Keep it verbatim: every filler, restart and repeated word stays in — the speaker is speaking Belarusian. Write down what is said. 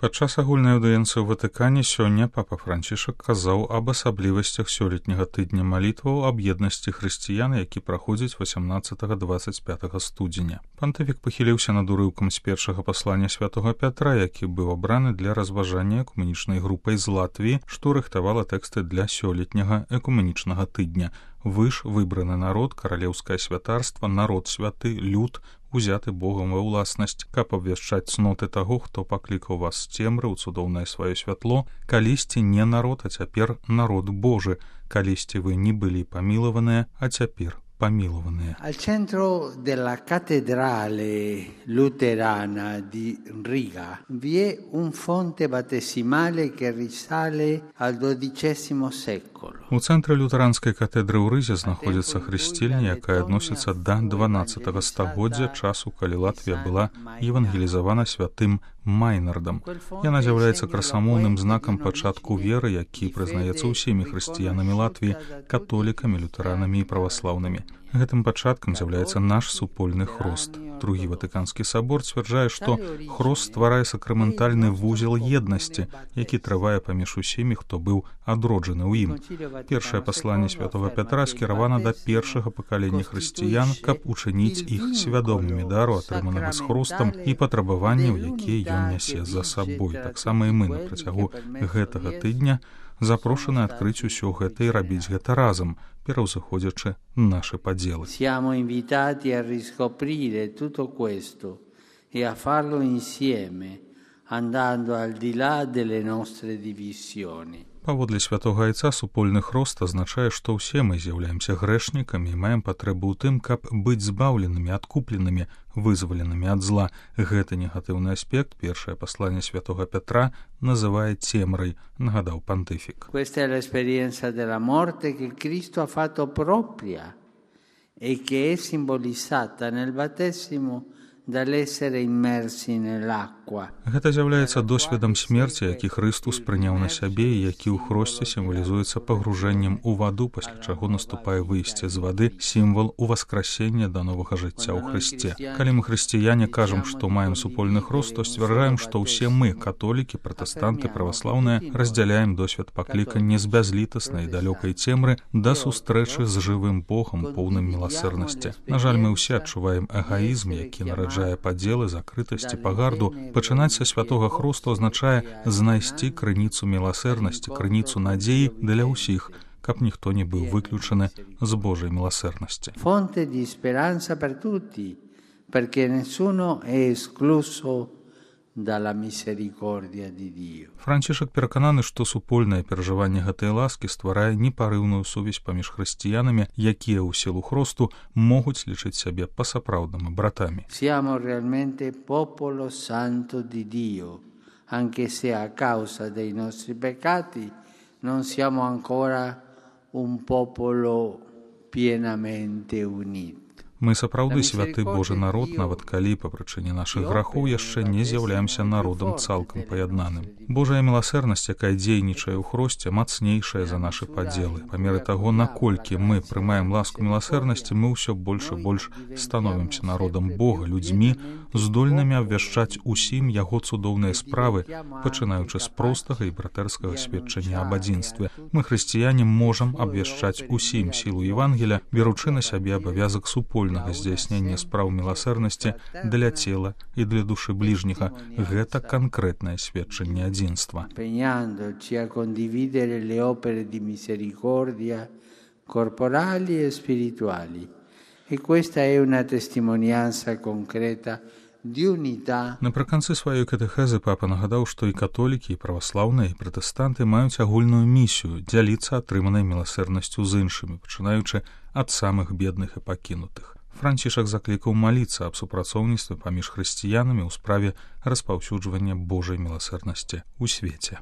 Падчас агульнай аўдыенцыі ў Ватыкане сёння папа Францішак казаў аб асаблівасцях сёлетняга тыдня малітваў аб еднасці хрысціян, які праходзіць васямнаццатага - дваццаць пятага студзеня. Пантыфік пахіліўся над урыўкам з першага паслання святога Пятра, які быў абраны для разважання экуменічнай групай з Латвіі, што рыхтавала тэксты для сёлетняга экуменічнага тыдня. Вы ж выбраны народ, каралеўскае святарства, народ святы, люд, узяты Богам ва ўласнасць, каб абвяшчаць цноты таго, хто паклікаў вас з цемры ў цудоўнае сваё святло, калісьці не народ, а цяпер народ Божы, калісьці вы не былі памілаваныя, а цяпер помилованные. Al centro della cattedrale luterana di Riga vi è un fonte battesimale che risale al dodicesimo secolo. У цэнтры лютэранскай катедры ў Рызе знаходзіцца хрысцільня, якая адносіцца да дванаццатага стагоддзя, часу, калі Латвія была евангелізавана святым Майнардам. Яна з'яўляецца красамоўным знакам пачатку веры, які прызнаецца ўсімі хрысціянамі Латвіі, католікамі, лютэранамі і праваслаўнымі. Гэтым пачаткам з'яўляецца наш супольны хрост. Другі Ватыканскі сабор сцвярджае, што хрост стварае сакраментальны вузел еднасці, які трывае паміж усімі, хто быў адроджаны ў ім. Першае пасланне святога Пятра скіравана да першага пакалення хрысціян, каб учыніць іх свядомымі дару, атрыманага з хростам, і патрабаванняў, якія ён нясе за сабой. Таксама і мы на працягу гэтага тыдня запрошаны адкрыць усё гэта і рабіць гэта разам, пераўзыходзячы нашы падзелы. Siamo invitati a riscoprire tutto questo e a farlo insieme, andando al di là delle nostre divisioni. Паводле святога Айца супольны хрост азначае, што ўсе мы з'яўляемся грэшнікамі і маем патрэбу ў тым, каб быць збаўленымі, адкупленымі, вызваленымі ад зла. Гэты негатыўны аспект першае пасланне святога Пятра называе цемрай, нагадаў пантыфік. Questa è l'esperienza della morte che Cristo ha fatto propria e che è simbolizzata nel battesimo dall'essere immersi nell'acqua. Гэта з'яўляецца досведам смерці, які Хрыстус прыняў на сябе і які ў хросце сімвалізуецца пагружэннем у ваду, пасля чаго наступае выйсце з вады, сімвал уваскрасення да новага жыцця ў Хрысце. Калі мы хрысціяне кажам, што маем супольны хрост, то сцвярджаем, што ўсе мы, католікі, пратэстанты, праваслаўныя, раздзяляем досвед паклікання з бязлітаснай далёкай цемры да сустрэчы з жывым Богам, поўным міласэрнасці. На жаль, мы ўсе адчуваем эгоізм, які нараджае падзелы, закрытасць і пагарду. Пачынаць са святога хросту азначае знайсці крыніцу міласэрнасці, крыніцу надзеі для ўсіх, каб ніхто не быў выключаны з Божай міласэрнасці. Fonte di speranza per tutti, perché nessuno è escluso dalla misericordia di Dio. Францішак перакананы, што супольнае перажыванне гэтай ласкі стварае непарыўную сувязь паміж хрысціянамі, якія ў сілу хросту могуць лічыць сябе па-сапраўднаму братамі. Siamo realmente popolo santo di Dio, anche se a causa dei nostri peccati non siamo ancora un popolo pienamente unito. Мы сапраўды святы Божы народ, нават калі па прычыне нашых грахоў яшчэ не з'яўляемся народам цалкам паяднаным. Божая міласэрнасць, якая дзейнічае ў хросце, мацнейшая за нашы падзелы. Па меры таго, наколькі мы прымаем ласку міласэрнасці, мы ўсё больш і больш становімся народам Бога, людзьмі, здольнымі абвяшчаць усім яго цудоўныя справы, пачынаючы з простага і братэрскага сведчання аб адзінстве. Мы, хрысціяне, можам абвяшчаць усім сілу Евангеля, беручы на сябе абавязак супольнага здзяйснення спраў міласэрнасці для цела і для душы бліжняга. Гэта канкрэтнае сведчанне адзінства. Impegnandoci a condividere le opere di misericordia corporali e spirituali. E questa è una testimonianza concreta di unità. Напрыканцы сваёй катэхезы папа нагадаў, што і католікі, і праваслаўныя, і пратэстанты маюць агульную місію дзяліцца атрыманай міласэрнасцю з іншымі, пачынаючы ад самых бедных і пакінутых. Францішак заклікаў маліцца аб супрацоўніцтве паміж хрысціянамі ў справе распаўсюджвання Божай міласэрнасці ў свеце.